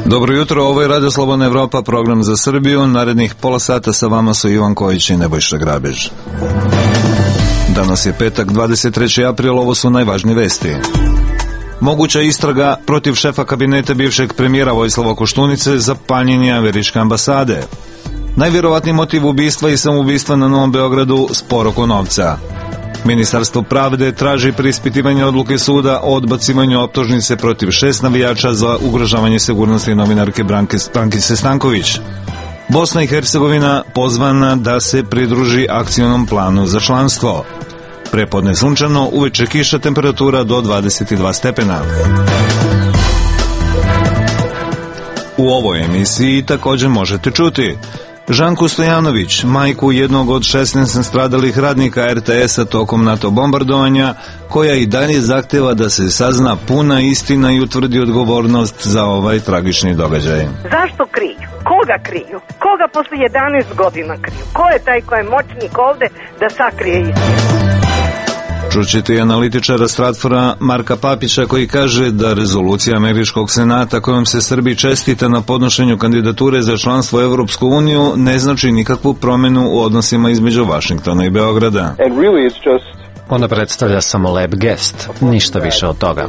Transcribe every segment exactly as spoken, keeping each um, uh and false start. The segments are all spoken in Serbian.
Dobro jutro, ovo je Radio Slobodna Evropa, program za Srbiju. Narednih pola sata sa vama su Ivan Kojić i Nebojša Grabež. Danas je petak, dvadeset treći april, ovo su najvažnije vesti. Moguća istraga protiv šefa kabineta bivšeg premijera Vojislava Koštunice za paljenje američke ambasade. Najvjerovatniji motiv ubistva i samoubistva na Novom Beogradu, spor oko novca. Ministarstvo pravde traži preispitivanje odluke suda o odbacivanju optužnice protiv šest navijača za ugrožavanje sigurnosti novinarke Brankice Stanković. Bosna i Hercegovina pozvana da se pridruži akcionom planu za članstvo. Prepodne sunčano, uveče kiša, temperatura do dvadeset dva stepena. U ovoj emisiji također možete čuti Žanku Stojanović, majku jednog od šesnaest nastradalih radnika er te esa tokom NATO bombardovanja, koja i dalje zahteva da se sazna puna istina i utvrdi odgovornost za ovaj tragični događaj. Zašto kriju? Koga kriju? Koga posle jedanaest godina kriju? Ko je taj ko je moćnik ovde da sakrije istinu? Čućete i analitičara Stratfora Marka Papića koji kaže da rezolucija američkog senata kojom se Srbiji čestita na podnošenju kandidature za članstvo u Evropsku uniju ne znači nikakvu promjenu u odnosima između Vašingtona i Beograda. Ona predstavlja samo lep gest, ništa više od toga.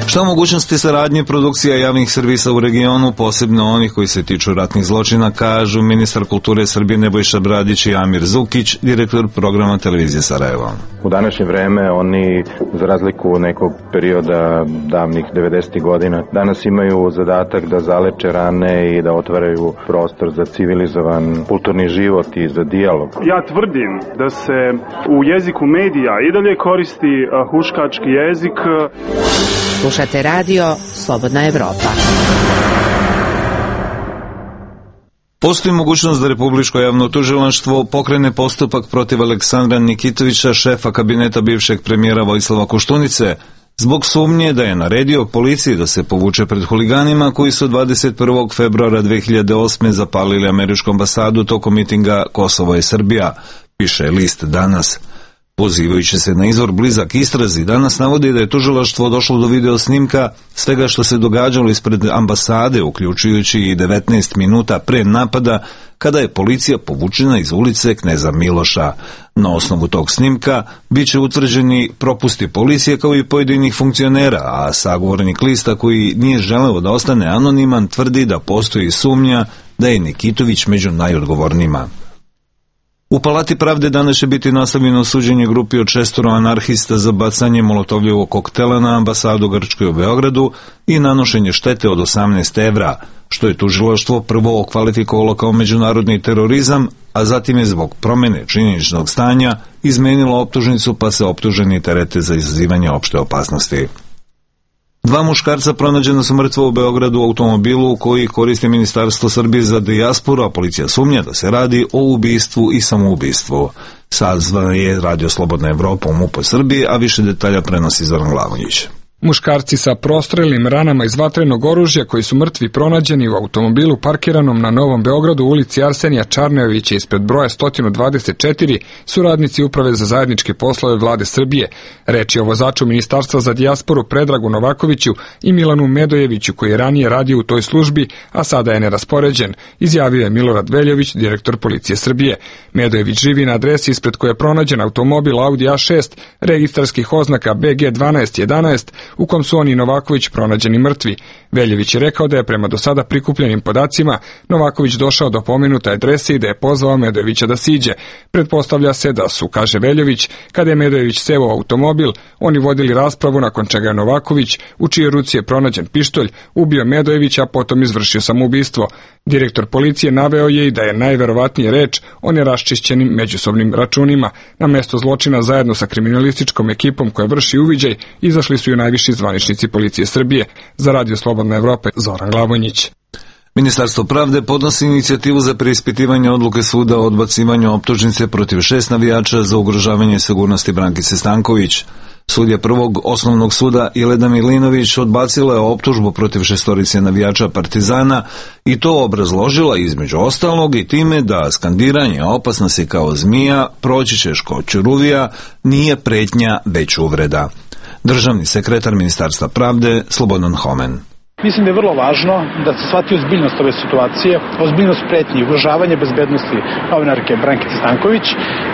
Šta o mogućnosti saradnje produkcija javnih servisa u regionu, posebno onih koji se tiču ratnih zločina, kažu ministar kulture Srbije Nebojša Bradić i Amir Zukić, direktor programa televizije Sarajevo. U današnje vreme oni, za razliku nekog perioda davnih devedesetih godina, danas imaju zadatak da zaleče rane i da otvaraju prostor za civilizovan kulturni život i za dijalog. Ja tvrdim da se u jeziku medija i dalje koristi huškački jezik. Slušate radio Slobodna Evropa. Postoji mogućnost da Republičko javno tužilaštvo pokrene postupak protiv Aleksandra Nikitovića, šefa kabineta bivšeg premijera Vojislava Koštunice, zbog sumnje da je naredio policiji da se povuče pred huliganima koji su dvadeset prvog februara dve hiljade osme zapalili američku ambasadu tokom mitinga Kosovo je Srbija, piše list Danas. Pozivajući se na izvor blizak istrazi, Danas navodi da je tužilaštvo došlo do video snimka svega što se događalo ispred ambasade, uključujući i devetnaest minuta pre napada, kada je policija povučena iz ulice Kneza Miloša. Na osnovu tog snimka bit će utvrđeni propusti policije kao i pojedinih funkcionera, a sagovornik lista koji nije želeo da ostane anoniman tvrdi da postoji sumnja da je Nikitović među najodgovornijima. U Palati pravde danas će biti nastavljeno suđenje grupi od šestoro anarhista za bacanje molotovljevog koktela na ambasadu Grčkoj u Beogradu i nanošenje štete od osamnaest evra, što je tužilaštvo prvo okvalifikovalo kao međunarodni terorizam, a zatim je zbog promjene činjeničnog stanja izmenilo optužnicu pa se optuženi terete za izazivanje opšte opasnosti. Dva muškarca pronađena su mrtva u Beogradu u automobilu koji koristi Ministarstvo Srbije za dijasporu, a policija sumnja da se radi o ubistvu i samoubistvu. Sazvan je Radio Slobodna Evropa u MUP Srbije, a više detalja prenosi Zoran Glavonjić. Muškarci sa prostrelim ranama iz vatrenog oružja koji su mrtvi pronađeni u automobilu parkiranom na Novom Beogradu u ulici Arsenija Čarnejovića ispred broja sto dvadeset četiri su radnici Uprave za zajedničke poslove Vlade Srbije. Reč je o vozaču Ministarstva za dijasporu Predragu Novakoviću i Milanu Medojeviću koji je ranije radio u toj službi, a sada je neraspoređen, izjavio je Milorad Veljović, direktor Policije Srbije. Medojević živi na adresi ispred koje je pronađen automobil Audi A šest registarskih oznaka B G dvanaest jedanaest u kom su on i Novaković pronađeni mrtvi. Veljović je rekao da je prema do sada prikupljenim podacima Novaković došao do pomenute adrese i da je pozvao Medojevića da siđe. Pretpostavlja se da su, kaže Veljović, kada je Medojević seo u automobil, oni vodili raspravu nakon čega je Novaković, u čijoj ruci je pronađen pištolj, ubio Medojevića, a potom izvršio samoubistvo. Direktor policije naveo je i da je najverovatnije reč o neraščišćenim međusobnim računima. Na mesto zločina zajedno sa kriminalističkom ekipom koja vrši uviđaj izašli su i najviši zvaničnici Policije Srbije. Za Radio Slobodna Evropa, Zoran Glavonjić. Ministarstvo pravde podnosi inicijativu za preispitivanje odluke suda o odbacivanju optužnice protiv šest navijača za ugrožavanje sigurnosti Brankice Stanković. Sudija prvog osnovnog suda Jelena Milinović odbacila je optužbu protiv šestorice navijača Partizana i to obrazložila između ostalog i time da skandiranje opasna si kao zmija, proći ćeš kao ćuruvija, nije pretnja već uvreda. Državni sekretar Ministarstva pravde Slobodan Homen. Mislim da je vrlo važno da se shvati ozbiljnost ove situacije, ozbiljnost pretnji i ugrožavanje bezbednosti novinarke Brankice Stanković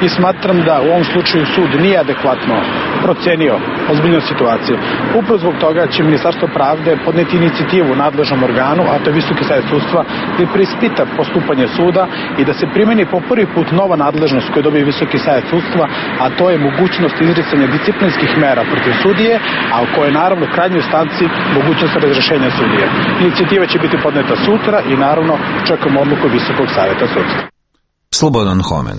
i smatram da u ovom slučaju sud nije adekvatno procenio ozbiljnost situacije. Upravo zbog toga će Ministarstvo pravde podneti inicijativu nadležnom organu, a to je Visoki savet sudstva, da preispita postupanje suda i da se primeni po prvi put nova nadležnost koju dobije Visoki savet sudstva, a to je mogućnost izricanja disciplinskih mera protiv sudije, a u kojoj naravno u krajnjoj instanci mogućnost razrešenja sudije. Inicijativa će biti podneta sutra i naravno čekamo odluku Visokog saveta sudstva. Slobodan Homen.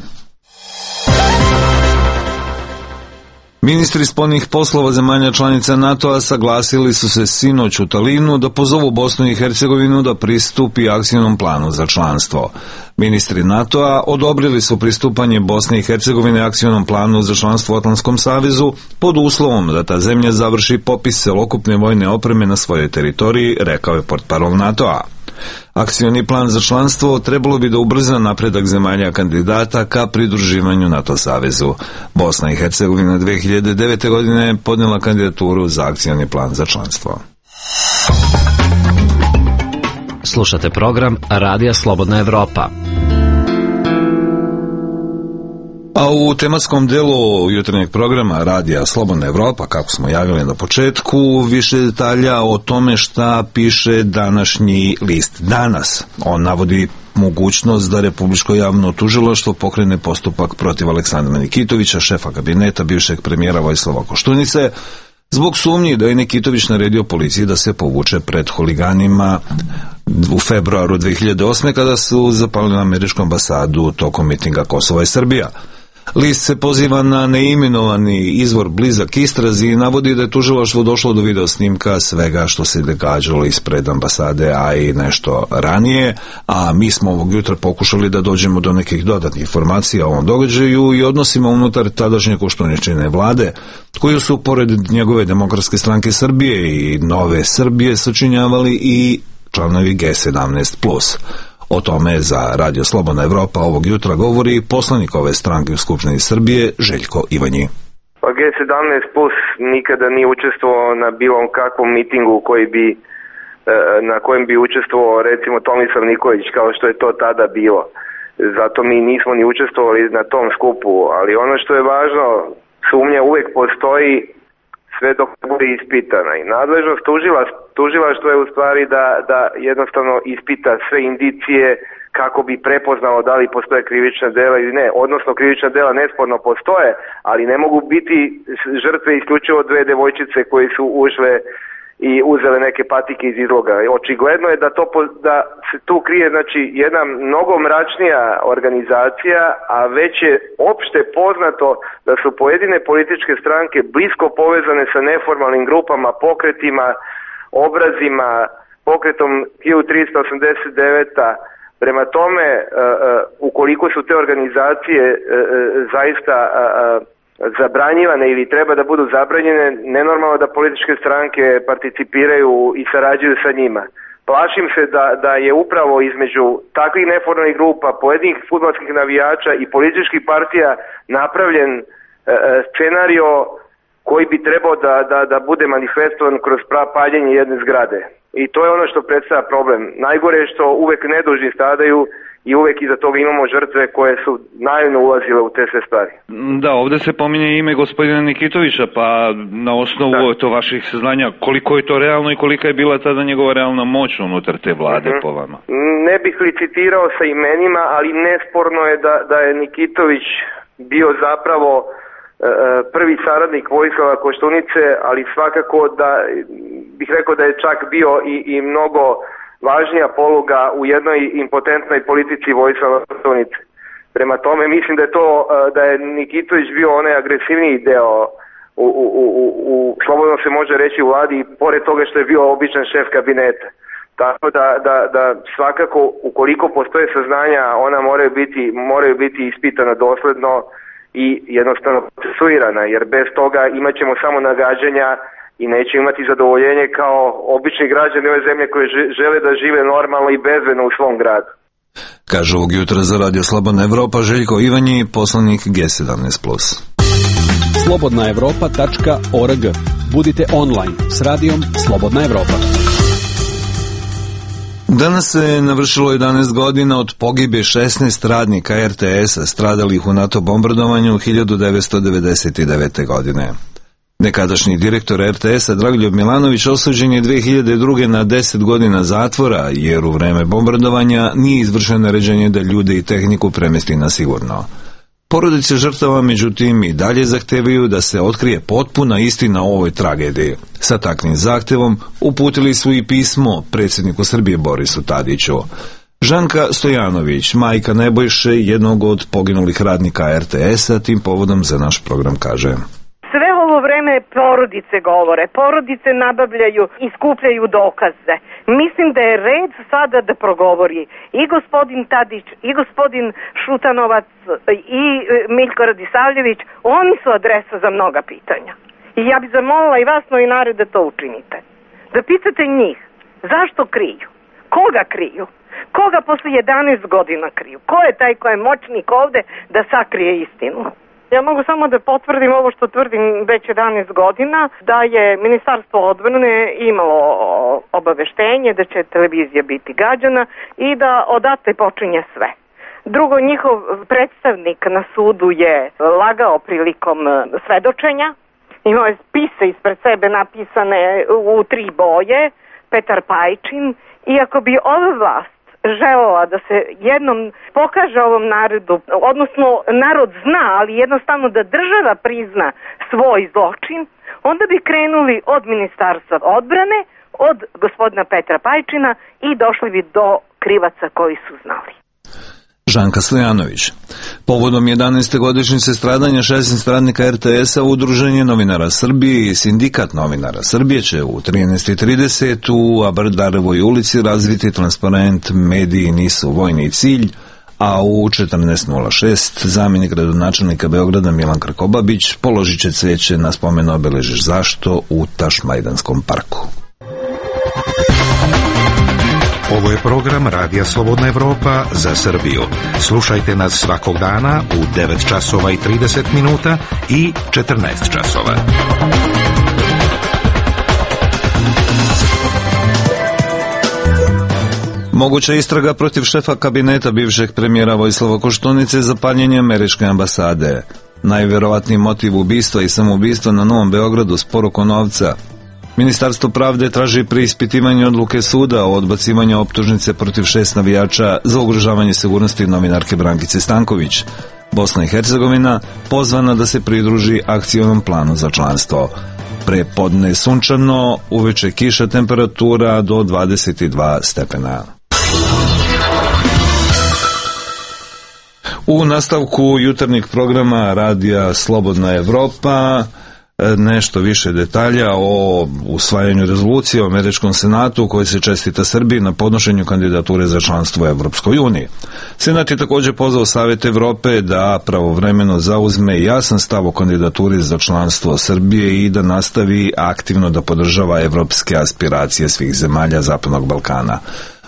Ministri spoljnih poslova zemalja članica NATO-a saglasili su se sinoć u Talinu da pozovu Bosnu i Hercegovinu da pristupi akcijnom planu za članstvo. Ministri NATO-a odobrili su pristupanje Bosne i Hercegovine akcijnom planu za članstvo u Atlantskom savezu pod uslovom da ta zemlja završi popis celokupne vojne opreme na svojoj teritoriji, rekao je portparol NATO-a. Akcioni plan za članstvo trebalo bi da ubrza napredak zemalja kandidata ka pridruživanju NATO savezu. Bosna i Hercegovina dve hiljade devete. godine podnijela kandidaturu za akcioni plan za članstvo. Slušate program Radija Slobodna Evropa. A u tematskom delu jutarnjeg programa Radija Slobodna Evropa, kako smo javili na početku, više detalja o tome šta piše današnji list Danas. On navodi mogućnost da Republičko javno tužilaštvo pokrene postupak protiv Aleksandra Nikitovića, šefa kabineta bivšeg premijera Vojislava Koštunice, zbog sumnji da je Nikitović naredio policiji da se povuče pred huliganima u februaru dve hiljade osme. kada su zapalili američku ambasadu tokom mitinga Kosova i Srbija. List se poziva na neimenovani izvor blizak istrazi i navodi da je tužilaštvo došlo do video snimka svega što se događalo ispred ambasade, a i nešto ranije, a mi smo ovog jutra pokušali da dođemo do nekih dodatnih informacija o ovom događaju i odnosima unutar tadašnje Koštuničine vlade, koju su pored njegove Demokratske stranke Srbije i Nove Srbije sačinjavali i članovi G sedamnaest plus. O tome za Radio Slobodna Evropa ovog jutra govori poslanik ove stranke u Skupštini Srbije Željko Ivanji. Pa G sedamnaest plus nikada nije učestvovao na bilo kakvom mitingu koji bi, na kojem bi učestvovao recimo Tomislav Nikolić kao što je to tada bilo. Zato mi nismo ni učestvovali na tom skupu, ali ono što je važno, sumnja uvek postoji sve dok bude ispitana i nadležnost tužilaštva je u stvari da, da jednostavno ispita sve indicije kako bi prepoznalo da li postoje krivična dela ili ne, odnosno krivična dela nesporno postoje, ali ne mogu biti žrtve isključivo dve devojčice koji su ušle i uzele neke patike iz izloga. Očigledno je da to da se tu krije znači jedna mnogo mračnija organizacija, a već je opšte poznato da su pojedine političke stranke blisko povezane sa neformalnim grupama, pokretima, obrazima, pokretom hiljadu tristo osamdeset devete. Prema tome, ukoliko su te organizacije zaista zabranjivane ili treba da budu zabranjene, nenormalno da političke stranke participiraju i sarađuju sa njima. Plašim se da, da je upravo između takvih neformalnih grupa, pojedinih fudbalskih navijača i političkih partija napravljen e, scenario koji bi trebao da, da, da bude manifestovan kroz paljenje jedne zgrade. I to je ono što predstavlja problem. Najgore je što uvek nedužni stradaju i uvek iza toga imamo žrtve koje su naivno ulazile u te sve stvari. Da, ovde se pominje ime gospodina Nikitovića, pa na osnovu da. to vaših saznanja, koliko je to realno i kolika je bila tada njegova realna moć unutar te vlade mm-hmm. po vama? Ne bih licitirao sa imenima, ali nesporno je da, da je Nikitović bio zapravo e, prvi saradnik Vojislava Koštunice, ali svakako da bih rekao da je čak bio i, i mnogo važnija poluga u jednoj impotentnoj politici Vojislava Koštunice. Prema tome mislim da je to da je Nikitović bio onaj agresivniji deo u, u, u, u slobodno se može reći u vladi, i pored toga što je bio običan šef kabineta. Tako da, da, da svakako ukoliko postoje saznanja, ona moraju biti, moraju biti ispitana dosledno i jednostavno procesuirana, jer bez toga imat ćemo samo nagađanja i neće imati zadovoljenje kao obični građani ove zemlje koji žele da žive normalno i bezbedno u svom gradu. Kaže ovog jutra za Radio Slobodna Evropa Željko Ivanji, poslanik G sedamnaest plus. slobodna evropa tačka org. Budite online s radijom Slobodna Evropa. Danas se navršilo jedanaest godina od pogibe šesnaest radnika R T S-a stradalih u NATO bombardovanju hiljadu devetsto devedeset devete. godine. Nekadašnji direktor R T S-a Dragoljub Milanović osuđen je dve hiljade druge. na deset godina zatvora, jer u vreme bombardovanja nije izvršeno naređenje da ljude i tehniku premesti na sigurno. Porodice žrtava, međutim, i dalje zahtevaju da se otkrije potpuna istina o ovoj tragediji. Sa takvim zahtevom uputili su i pismo predsjedniku Srbije Borisu Tadiću. Žanka Stojanović, majka Nebojše, jednog od poginulih radnika R T S-a, tim povodom za naš program kaže: Sve ovo vreme porodice govore, porodice nabavljaju i skupljaju dokaze. Mislim da je red sada da progovori i gospodin Tadić, i gospodin Šutanovac, i Miljko Radisavljević. Oni su adresa za mnoga pitanja. I ja bih zamolila i vas novinare da to učinite. Da pitate njih zašto kriju, koga kriju, koga posle jedanaest godina kriju, ko je taj ko je moćnik ovde da sakrije istinu. Ja mogu samo da potvrdim ovo što tvrdim već jedanaest godina, da je Ministarstvo odbrane imalo obaveštenje da će televizija biti gađana i da odatle počinje sve. Drugo, njihov predstavnik na sudu je lagao prilikom svedočenja, imao je spise ispred sebe napisane u tri boje, Petar Pajčin, i ako bi ova vlast želela da se jednom pokaže ovom narodu, odnosno narod zna, ali jednostavno da država prizna svoj zločin, onda bi krenuli od Ministarstva odbrane, od gospodina Petra Pajčina i došli bi do krivaca koji su znali. Žanka Stojanović. Povodom jedanaeste godišnjice stradanja šesnaest radnika R T S-a Udruženje novinara Srbije i Sindikat novinara Srbije će u trinaest trideset u Abardarevoj ulici razviti transparent "Mediji nisu vojni cilj", a u četrnaest nula šest zamjenik gradonačelnika Beograda Milan Krkobabić položit će cveće na spomen obeležiš zašto u Tašmajdanskom parku. Ovo je program Radija Slobodna Evropa za Srbiju. Slušajte nas svakog dana u devet časova i trideset minuta i četrnaest časova. Moguća istraga protiv šefa kabineta bivšeg premijera Vojislava Koštunice za paljenje američke ambasade. Najverovatniji motiv ubistva i samoubistva na Novom Beogradu spor oko novca. Ministarstvo pravde traži preispitivanje odluke suda o odbacivanju optužnice protiv šest navijača za ugrožavanje sigurnosti novinarke Brankice Stanković. Bosna i Hercegovina pozvana da se pridruži akcionom planu za članstvo. Prepodne sunčano, uveče kiša, temperatura do dvadeset dva stepena. U nastavku jutarnjeg programa Radija Slobodna Evropa nešto više detalja o usvajanju rezolucije u Američkom senatu koji se čestita Srbiji na podnošenju kandidature za članstvo u Evropskoj uniji. Senat je također pozvao Savet Evrope da pravovremeno zauzme jasan stav o kandidaturi za članstvo Srbije i da nastavi aktivno da podržava evropske aspiracije svih zemalja Zapadnog Balkana.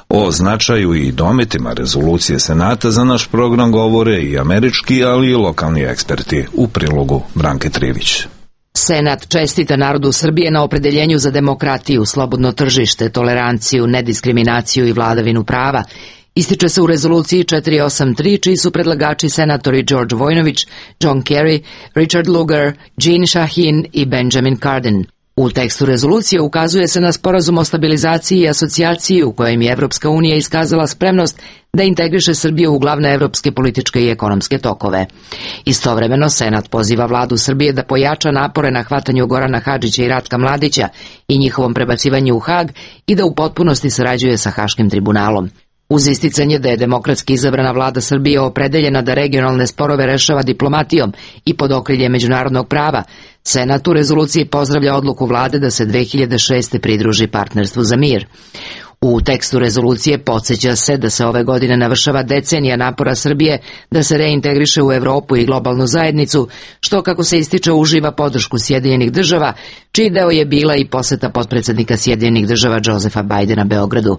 O značaju i dometima rezolucije Senata za naš program govore i američki, ali i lokalni eksperti. U prilogu Branke Trivić. Senat čestita narodu Srbije na opredeljenju za demokratiju, slobodno tržište, toleranciju, nediskriminaciju i vladavinu prava. Ističe se u rezoluciji četiri osam tri, čiji su predlagači senatori George Vojnović, John Kerry, Richard Lugar, Jean Shaheen i Benjamin Cardin. U tekstu rezolucije ukazuje se na sporazum o stabilizaciji i asocijaciji u kojem je Evropska unija iskazala spremnost da integriše Srbiju u glavne evropske političke i ekonomske tokove. Istovremeno, Senat poziva vladu Srbije da pojača napore na hvatanju Gorana Hadžića i Ratka Mladića i njihovom prebacivanju u Hag i da u potpunosti sarađuje sa Haškim tribunalom. Uz isticanje da je demokratski izabrana vlada Srbije opredeljena da regionalne sporove rešava diplomatijom i pod okriljem međunarodnog prava, Senat u rezoluciji pozdravlja odluku vlade da se dve hiljade šeste pridruži partnerstvu za mir. U tekstu rezolucije podsjeća se da se ove godine navršava decenija napora Srbije da se reintegriše u Evropu i globalnu zajednicu, što, kako se ističe, uživa podršku Sjedinjenih država, čiji deo je bila i poseta potpredsednika Sjedinjenih država Josefa Bajdena Beogradu.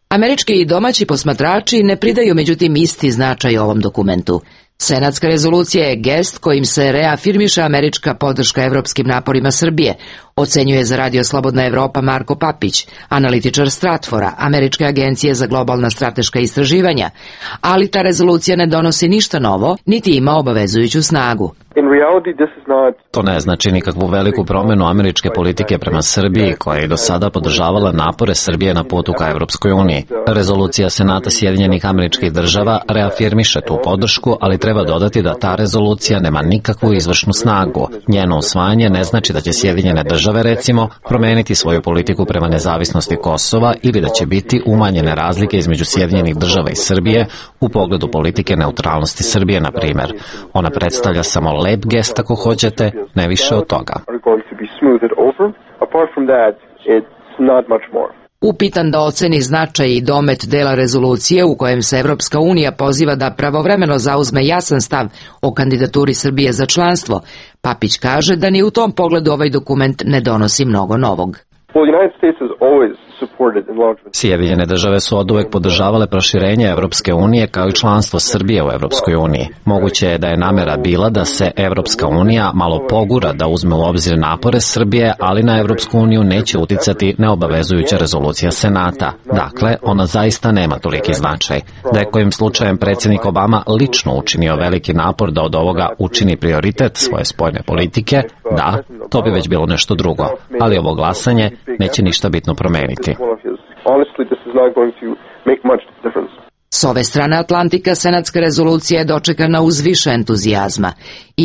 Američki i domaći posmatrači ne pridaju međutim isti značaj ovom dokumentu. Senatska rezolucija je gest kojim se reafirmiše američka podrška evropskim naporima Srbije, ocenjuje za Radio Slobodna Evropa Marko Papić, analitičar Stratfora, Američke agencije za globalna strateška istraživanja, ali ta rezolucija ne donosi ništa novo, niti ima obavezujuću snagu. To ne znači nikakvu veliku promenu američke politike prema Srbiji, koja je do sada podržavala napore Srbije na putu ka Evropskoj uniji. Rezolucija Senata Sjedinjenih Američkih Država reafirmiše tu podršku, ali treba dodati da ta rezolucija nema nikakvu izvršnu snagu. Njeno usvajanje ne znači da će Sjedinjene države, recimo, promeniti svoju politiku prema nezavisnosti Kosova ili da će biti umanjene razlike između Sjedinjenih država i Srbije u pogledu politike neutralnosti Srbije, na primjer. Ona predstavlja samo lep gest, ako hoćete, ne više od toga. Upitan da oceni značaj i domet dela rezolucije u kojem se Evropska unija poziva da pravovremeno zauzme jasan stav o kandidaturi Srbije za članstvo, Papić kaže da ni u tom pogledu ovaj dokument ne donosi mnogo novog. Sjedinjene države su oduvek podržavale proširenje Evropske unije kao i članstvo Srbije u Evropskoj uniji. Moguće je da je namera bila da se Evropska unija malo pogura da uzme u obzir napore Srbije, ali na Evropsku uniju neće uticati neobavezujuća rezolucija Senata. Dakle, ona zaista nema toliki značaj. Da je kojim slučajem predsjednik Obama lično učinio veliki napor da od ovoga učini prioritet svoje spoljne politike, da, to bi već bilo nešto drugo, ali ovo glasanje neće ništa bitno promeniti. S ove strane Atlantika senatska rezolucija je dočekana uz više entuzijazma.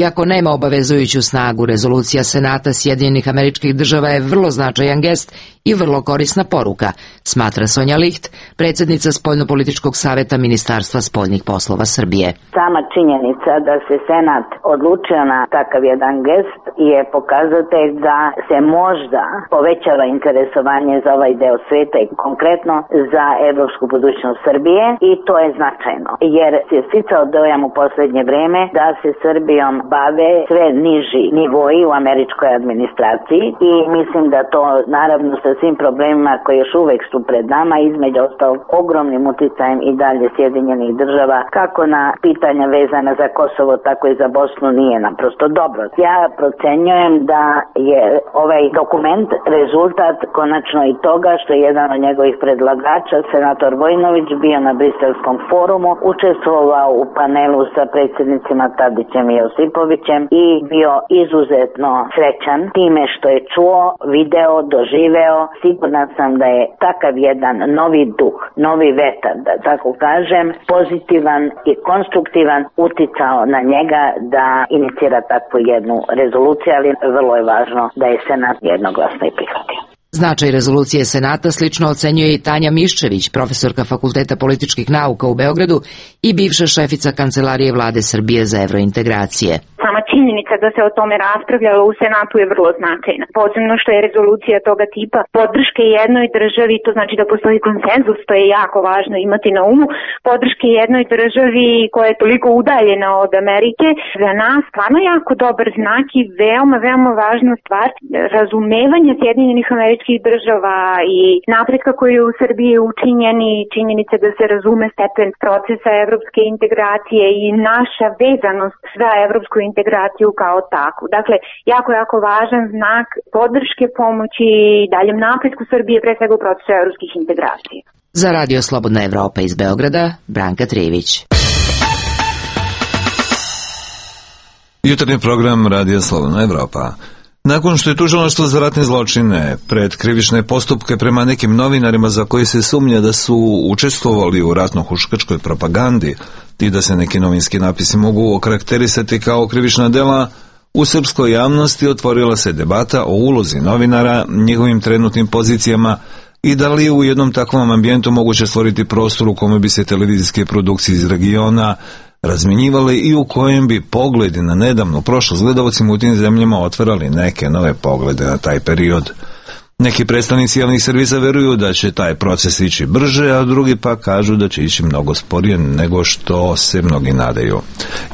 Iako nema obavezujuću snagu, rezolucija Senata Sjedinjenih Američkih Država je vrlo značajan gest i vrlo korisna poruka, smatra Sonja Licht, predsjednica Spoljnopolitičkog saveta Ministarstva spoljnih poslova Srbije. Sama činjenica da se Senat odlučio na takav jedan gest je pokazatelj da se možda povećava interesovanje za ovaj deo sveta i konkretno za evropsku budućnost Srbije, i to je značajno, jer se sticao dojam u posljednje vreme da se Srbijom bave sve niži nivoji u američkoj administraciji, i mislim da to, naravno sa svim problemima koji još uvek su pred nama, između ostalog ogromnim uticajem i dalje Sjedinjenih država, kako na pitanja vezana za Kosovo, tako i za Bosnu, nije naprosto dobro. Ja procenjujem da je ovaj dokument rezultat konačno i toga što je jedan od njegovih predlagača, senator Vojinović, bio na Briselskom forumu, učestvovao u panelu sa predsjednicima Tadićem i Josipovićem i bio izuzetno srećan time što je čuo, video, doživeo. Sigurna sam da je takav jedan novi duh, novi vetar, da tako kažem, pozitivan i konstruktivan uticao na njega da inicira takvu jednu rezoluciju, ali vrlo je važno da je Senat jednoglasno i prihvatio. Značaj rezolucije Senata slično ocenjuje i Tanja Miščević, profesorka Fakulteta političkih nauka u Beogradu i bivša šefica Kancelarije Vlade Srbije za evrointegracije. Sama činjenica da se o tome raspravljalo u Senatu je vrlo značajna. Posebno što je rezolucija toga tipa podrške jednoj državi, to znači da postoji konsenzus, to je jako važno imati na umu, podrške jednoj državi koja je toliko udaljena od Amerike, za nas stvarno jako dobar znak i veoma, veoma važna stvar, razumevanje Sjedinjenih Američkih Država i napretka koji je u Srbiji učinjen i činjenica da se razume stepen procesa evropske integracije i naša vezanost za evropsku integraciju kao takvu. Dakle, jako, jako važan znak podrške, pomoći i daljem napretku Srbije, pre svega u procesu evropskih integracija. Za Radio Slobodna Evropa iz Beograda, Branka Trivić. Jutarnji program Radio Slobodna Evropa. Nakon što je tužilaštvo za ratne zločine pred krivične postupke prema nekim novinarima za koji se sumnja da su učestvovali u ratno-huškačkoj propagandi i da se neki novinski napisi mogu okarakterisati kao krivična dela, u srpskoj javnosti otvorila se debata o ulozi novinara, njihovim trenutnim pozicijama i da li je u jednom takvom ambijentu moguće stvoriti prostor u kome bi se televizijske produkcije iz regiona razminjivali i u kojem bi pogledi na nedavnu prošlost gledalcima u tim zemljama otvarali neke nove poglede na taj period. Neki predstavnici javnih servisa veruju da će taj proces ići brže, a drugi pa kažu da će ići mnogo sporije nego što se mnogi nadaju.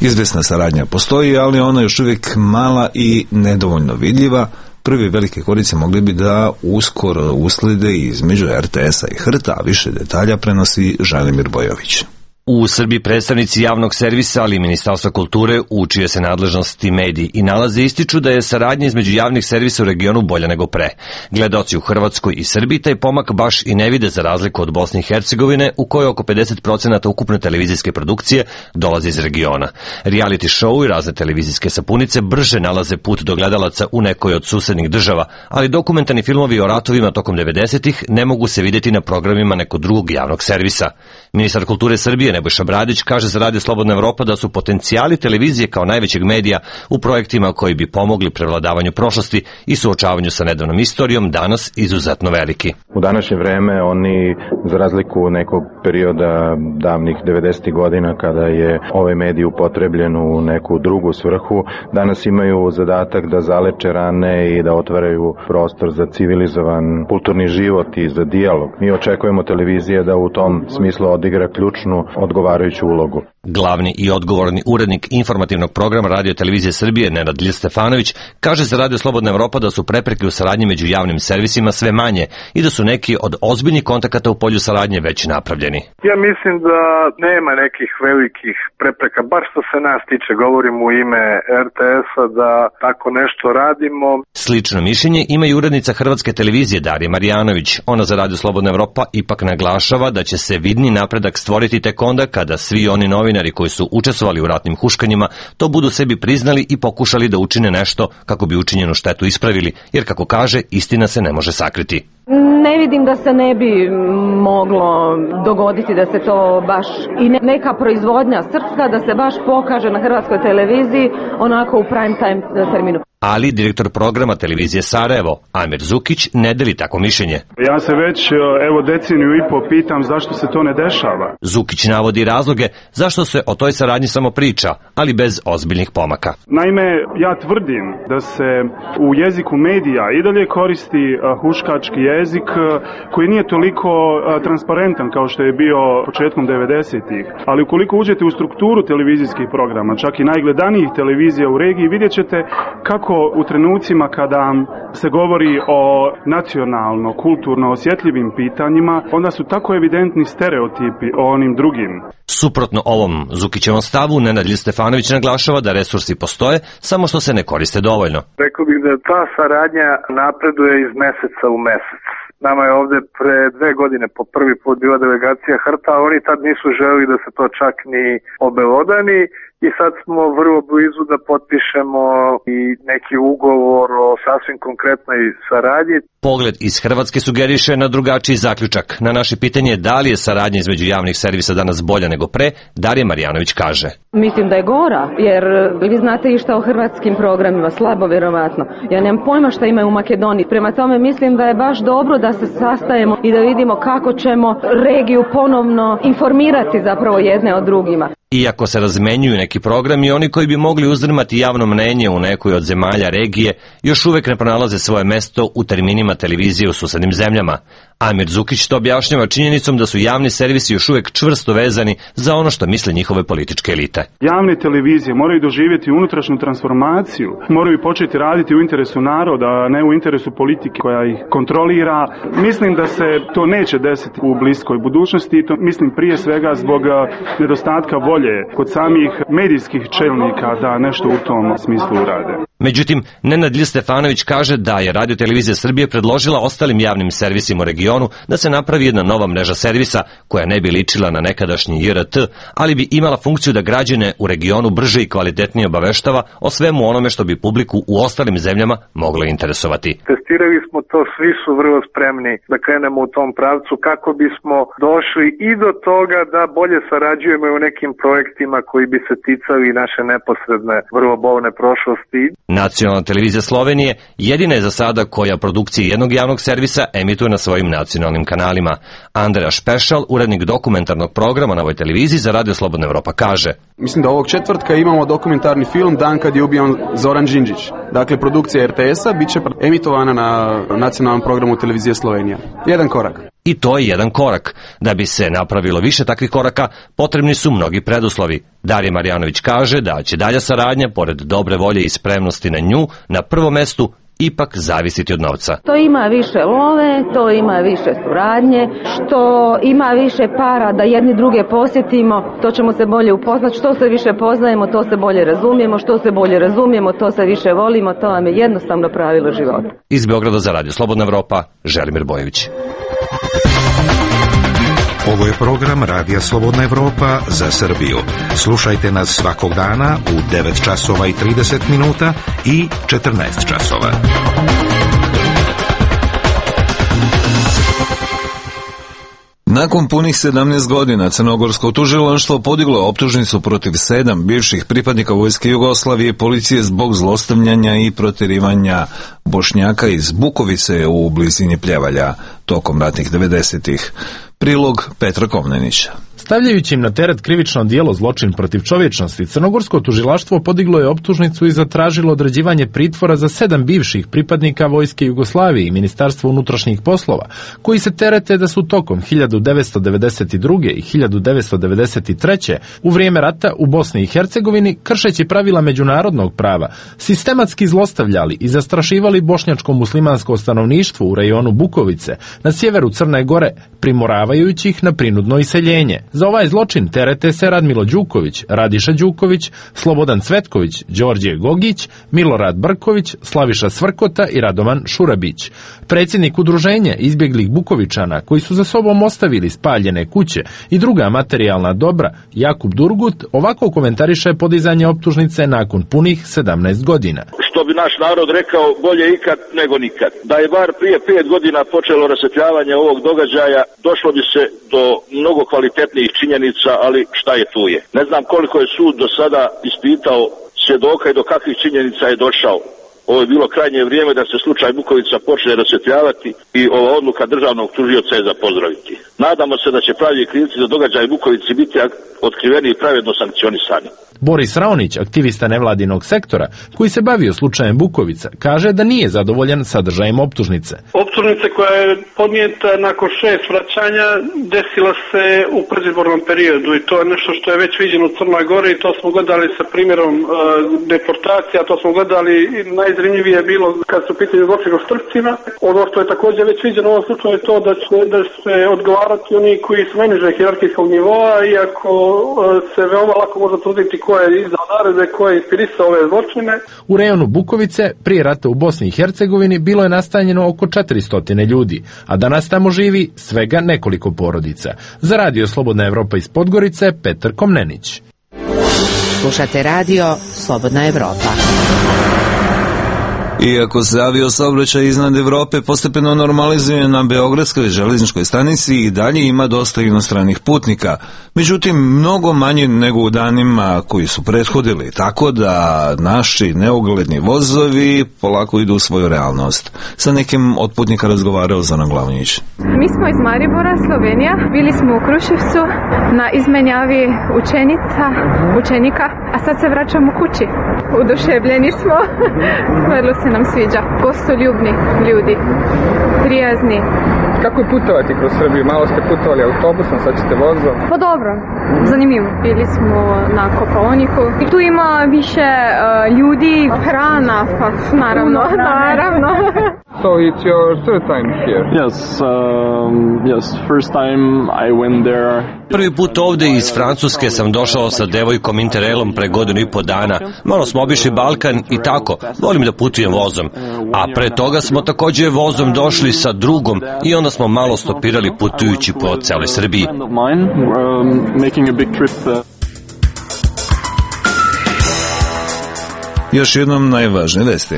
Izvesna saradnja postoji, ali ona je još uvijek mala i nedovoljno vidljiva. Prvi velike korice mogli bi da uskoro uslede između er te esa i H R T A, a više detalja prenosi Želimir Bojović. U Srbiji predstavnici javnog servisa, ali i Ministarstva kulture, u čije se nadležnosti mediji i nalaze, ističu da je saradnja između javnih servisa u regionu bolja nego pre. Gledaoci u Hrvatskoj i Srbiji taj pomak baš i ne vide, za razliku od Bosne i Hercegovine, u kojoj oko pedeset procenata ukupne televizijske produkcije dolazi iz regiona. Reality show i razne televizijske sapunice brže nalaze put do gledalaca u nekoj od susednih država, ali dokumentarni filmovi o ratovima tokom devedesetih ne mogu se vidjeti na programima nekog drugog javnog servisa. Ministar kulture Srbije Nebojša Bradić kaže za Radio Slobodna Evropa da su potencijali televizije kao najvećeg medija u projektima koji bi pomogli prevladavanju prošlosti i suočavanju sa nedavnom istorijom danas izuzetno veliki. U današnje vreme oni, za razliku nekog perioda davnih devedesetih godina kada je ovaj medij upotrebljen u neku drugu svrhu, danas imaju zadatak da zaleče rane i da otvaraju prostor za civilizovan kulturni život i za dijalog. Mi očekujemo televizije da u tom smislu odigra ključnu odgovarajuću ulogu. Glavni i odgovorni urednik informativnog programa Radio Televizije Srbije Nenad Lj. Stefanović kaže za Radio Slobodna Evropa da su prepreke u saradnji među javnim servisima sve manje i da su neki od ozbiljnih kontakata u polju saradnje već napravljeni. Ja mislim da nema nekih velikih prepreka, baš što se nas tiče, govorim u ime er te esa, da tako nešto radimo. Slično mišljenje ima i urednica Hrvatske televizije Darija Marjanović. Ona za Radio Slobodna Evropa ipak naglašava da će se vidni napredak stvoriti tek onda kada svi oni novinari koji su učestvovali u ratnim huškanjima to budu sebi priznali i pokušali da učine nešto kako bi učinjenu štetu ispravili, jer kako kaže, istina se ne može sakriti. Ne vidim da se ne bi moglo dogoditi da se to baš i neka proizvodnja srpska da se baš pokaže na Hrvatskoj televiziji onako u prime time terminu. Ali direktor programa televizije Sarajevo, Amir Zukić, ne deli tako mišljenje. Ja se već evo deceniju i po pitam zašto se to ne dešava. Zukić navodi razloge zašto se o toj saradnji samo priča, ali bez ozbiljnih pomaka. Naime, ja tvrdim da se u jeziku medija i dalje koristi huškački jezik koji nije toliko transparentan kao što je bio početkom devedesetih. Ali ukoliko uđete u strukturu televizijskih programa, čak i najgledanijih televizija u regiji, vidjet ćete kako u trenucima kada se govori o nacionalno, kulturno osjetljivim pitanjima, onda su tako evidentni stereotipi o onim drugim. Suprotno ovom Zukićevom stavu, Nenad Lj. Stefanović naglašava da resursi postoje, samo što se ne koriste dovoljno. Rekao bih da ta saradnja napreduje iz meseca u mesec. Nama je ovde pre dve godine po prvi put bila delegacija H R T A, oni tad nisu želeli da se to čak ni obelodani i sad smo vrlo blizu da potpišemo i neki ugovor o sasvim konkretnoj saradnji. Pogled iz Hrvatske sugeriše na drugačiji zaključak. Na naše pitanje da li je saradnja između javnih servisa danas bolja nego pre, Darija Marjanović kaže. Mislim da je gora, jer vi znate i šta o hrvatskim programima, slabo vjerovatno. Ja nemam pojma šta imaju u Makedoniji. Prema tome mislim da je baš dobro da se sastajemo i da vidimo kako ćemo regiju ponovno informirati zapravo jedne od drugima. Iako se razmenjuju neki programi, oni koji bi mogli uzdrmati javno mnenje u nekoj od zemalja regije, još uvek ne pronalaze svoje mesto u terminima televizije u susednim zemljama. Amir Zukić to objašnjava činjenicom da su javni servisi još uvek čvrsto vezani za ono što misle njihove političke elite. Javne televizije moraju doživjeti unutrašnju transformaciju, moraju početi raditi u interesu naroda, a ne u interesu politike koja ih kontrolira. Mislim da se to neće desiti u bliskoj budućnosti i to mislim prije svega zbog nedostatka volje kod samih medijskih čelnika da nešto u tom smislu urade. Međutim, Nenad Lj. Stefanović kaže da je Radio Televizija Srbije predložila ostalim javnim servisima u regionu da se napravi jedna nova mreža servisa koja ne bi ličila na nekadašnji J R T, ali bi imala funkciju da građane u regionu brže i kvalitetnije obaveštava o svemu onome što bi publiku u ostalim zemljama moglo interesovati. Testirali smo to, svi su vrlo spremni da krenemo u tom pravcu kako bismo došli i do toga da bolje sarađujemo u nekim projektima koji bi se ticali naše neposredne, vrlo bolne prošlosti. Nacionalna televizija Slovenije jedina je za sada koja produkcije jednog javnog servisa emituje na svojim nacionalnim kanalima. Andreja Špešal, urednik dokumentarnog programa na ovoj televiziji za Radio Slobodna Evropa, kaže. Mislim da ovog četvrtka imamo dokumentarni film Dan kad je ubijan Zoran Đinđić. Dakle, produkcija er te esa bit će emitovana na na nacionalnom programu televizije Slovenija. Jedan korak. I to je jedan korak. Da bi se napravilo više takvih koraka, potrebni su mnogi preduslovi. Darija Marjanović kaže da će dalja saradnja, pored dobre volje i spremnosti na nju, na prvom mestu ipak zavisiti od novca. To ima više love, to ima više suradnje, što ima više para da jedni druge posjetimo, to ćemo se bolje upoznati. Što se više poznajemo, to se bolje razumijemo, što se bolje razumijemo, to se više volimo, to vam je jednostavno pravilo života. Iz Beograda za Radio Slobodna Evropa, Želimir Bojević. Ovo je program Radija Slobodna Evropa za Srbiju. Slušajte nas svakog dana u devet časova i trideset minuta i četrnaest časova. Nakon punih sedamnaest godina Crnogorsko tužilaštvo podiglo je optužnicu protiv sedam bivših pripadnika Vojske Jugoslavije i policije zbog zlostavljanja i protjerivanja Bošnjaka iz Bukovice u blizini Pljevalja tokom ratnih devedesetih. Prilog Petra Komnenića. Stavljajući im na teret krivično djelo zločin protiv čovječnosti, Crnogorsko tužilaštvo podiglo je optužnicu i zatražilo određivanje pritvora za sedam bivših pripadnika Vojske Jugoslavije i Ministarstva unutrašnjih poslova, koji se terete da su tokom hiljadu devetsto devedeset druge. i hiljadu devetsto devedeset treće. u vrijeme rata u Bosni i Hercegovini, kršeći pravila međunarodnog prava, sistematski zlostavljali i zastrašivali bošnjačko muslimansko stanovništvo u rejonu Bukovice na sjeveru Crne Gore, primoravajući ih na prinudno iseljenje. Za ovaj zločin terete se Radmilo Đuković, Radiša Đuković, Slobodan Cvetković, Đorđe Gogić, Milorad Brković, Slaviša Svrkota i Radovan Šurabić. Predsjednik udruženja izbjeglih Bukovičana, koji su za sobom ostavili spaljene kuće i druga materijalna dobra, Jakub Durgut, ovako komentariše podizanje optužnice nakon punih sedamnaest godina. Što bi naš narod rekao, bolje ikad nego nikad. Da je bar prije pet godina počelo rasvjetljavanje ovog događaja, došlo bi se do mnogo kvalitetnijih činjenica, ali šta je tu je. Ne znam koliko je sud do sada ispitao svjedoka i do kakvih činjenica je došao. Ovo je bilo krajnje vrijeme da se slučaj Bukovica počne rasvjetljavati i ova odluka državnog tužioca je za pozdraviti. Nadamo se da će pravi krivci za događaj Bukovici biti otkriveni i pravedno sankcionisani. Boris Raonić, aktivista nevladinog sektora, koji se bavio slučajem Bukovica, kaže da nije zadovoljan sadržajem optužnice. Optužnice koja je podnijeta nakon šest vraćanja desila se u predizbornom periodu i to je nešto što je već viđeno u Crnoj Gori i to smo gledali sa primjerom uh, deportacija, to smo gledali i najzanimljivije je bilo kad su pitanje zločina u Štrpcima. Ono što je također već viđeno u ovom slučaju je to da će, da će odgovarati oni koji su najniže hijerarhijskog nivoa, iako uh, se veoma lako može tvrditi ko je izdao naredbe, ko je inspirisao ove zločine. U rejonu Bukovice, prije rata u Bosni i Hercegovini, bilo je nastanjeno oko četiristo ljudi, a danas tamo živi svega nekoliko porodica. Za Radio Slobodna Evropa iz Podgorice, Petar Komnenić. Slušate Radio Slobodna Evropa. Iako se aviosaobraćaj iznad Evrope postepeno normalizuje na Beogradskoj željezničkoj stanici, i dalje ima dosta inostranih putnika, međutim mnogo manje nego u danima koji su prethodili, tako da naši neugledni vozovi polako idu u svoju realnost. Sa nekim od putnika razgovarao Zoran Glavnić. Mi smo iz Maribora, Slovenija, bili smo u Kruševcu na izmenjavi učenica, učenika, a sad se vraćamo kući. Oduševljeni smo, vrlo se nam sviđa. Gostoljubni ljudi, prijazni. Kako je putovati kroz Srbiju? Malo ste putovali autobusom, sad ćete vozom. Pa dobro, zanimljivo. Bili smo na Kopaoniku i tu ima više uh, ljudi, hrana, pa naravno, naravno. So it's your third time here? Yes, um, yes, first time I went there. Prvi put ovde iz Francuske sam došao sa devojkom Interrailom pre godinu i po dana. Malo smo obišli Balkan i tako, volim da putujem vozom. A pre toga smo također vozom došli sa drugom i onda smo malo stopirali putujući po celoj Srbiji. Još jednom najvažnije vesti.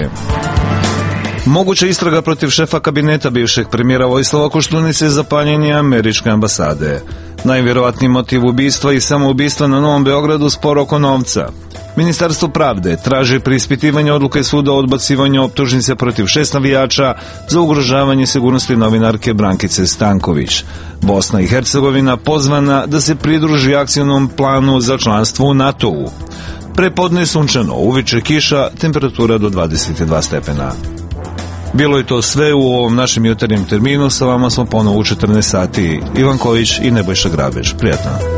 Moguća istraga protiv šefa kabineta bivšeg premijera Vojislava Koštunice za paljenje američke ambasade. Najvjerovatniji motiv ubistva i samoubistva na Novom Beogradu spor oko novca. Ministarstvo pravde traži preispitivanje odluke suda o odbacivanju optužnice protiv šest navijača za ugrožavanje sigurnosti novinarke Brankice Stanković. Bosna i Hercegovina pozvana da se pridruži akcijnom planu za članstvo u NATO-u. Prepodne sunčano, uveče kiša, temperatura do dvadeset dva stepena. Bilo je to sve u ovom našem jutarnjem terminu, sa vama smo ponovo u četrnaest sati. Ivan Kojić i Nebojša Grabež. Prijatno.